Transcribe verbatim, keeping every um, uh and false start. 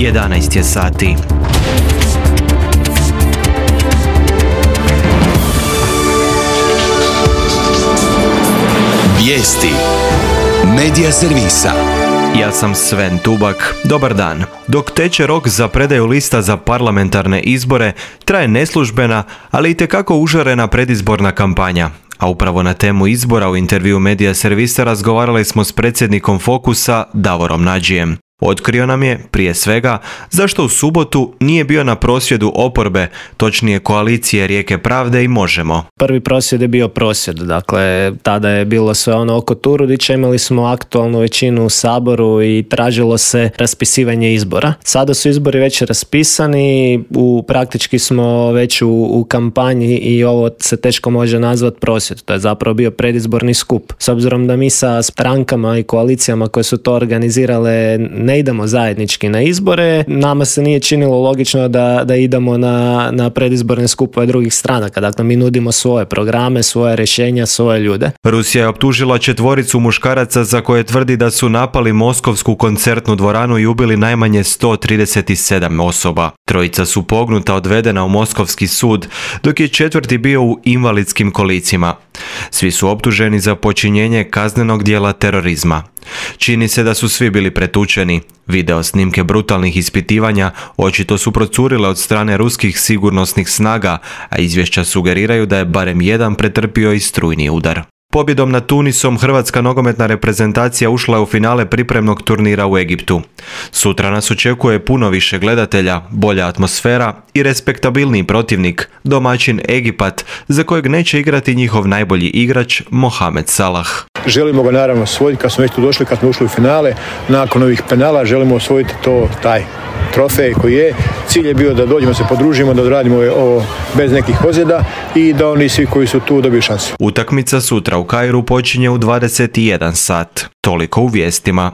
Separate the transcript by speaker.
Speaker 1: jedanaest je sati.
Speaker 2: Vijesti Medija servisa.
Speaker 1: Ja sam Sven Tubak. Dobar dan. Dok teče rok za predaju lista za parlamentarne izbore, traje neslužbena, ali itekako užarena predizborna kampanja. A upravo na temu izbora u intervju Medija servisa razgovarali smo s predsjednikom Fokusa Davorom Nađijem. Otkrio nam je, prije svega, zašto u subotu nije bio na prosvjedu oporbe, točnije koalicije Rijeke pravde i Možemo.
Speaker 3: Prvi prosvjed je bio prosvjed, dakle tada je bilo sve ono oko Turudića, imali smo aktualnu većinu u Saboru i tražilo se raspisivanje izbora. Sada su izbori već raspisani, u, praktički smo već u, u kampanji i ovo se teško može nazvati prosvjed. To je zapravo bio predizborni skup. S obzirom da mi sa strankama i koalicijama koje su to organizirale ne idemo zajednički na izbore, nama se nije činilo logično da, da idemo na, na predizborne skupove drugih stranaka. Dakle, mi nudimo svoje programe, svoje rješenja, svoje ljude.
Speaker 1: Rusija je optužila četvoricu muškaraca za koje tvrdi da su napali moskovsku koncertnu dvoranu i ubili najmanje sto trideset sedam osoba. Trojica su pognuta odvedena u moskovski sud, dok je četvrti bio u invalidskim kolicima. Svi su optuženi za počinjenje kaznenog djela terorizma. Čini se da su svi bili pretučeni. Video snimke brutalnih ispitivanja očito su procurile od strane ruskih sigurnosnih snaga, a izvješća sugeriraju da je barem jedan pretrpio i strujni udar. Pobjedom nad Tunisom hrvatska nogometna reprezentacija ušla je u finale pripremnog turnira u Egiptu. Sutra nas očekuje puno više gledatelja, bolja atmosfera i respektabilniji protivnik, domaćin Egipat, za kojeg neće igrati njihov najbolji igrač Mohamed Salah.
Speaker 4: Želimo ga naravno osvojiti kad smo već tu došli, kad smo ušli u finale. Nakon ovih penala želimo osvojiti to, taj trofej koji je. Cilj je bio da dođemo, se podružimo, da odradimo ovo bez nekih ozljeda i da oni svi koji su tu dobiju šansu.
Speaker 1: Utakmica sutra u Kairu počinje u dvadeset jedan sat. Toliko u vijestima.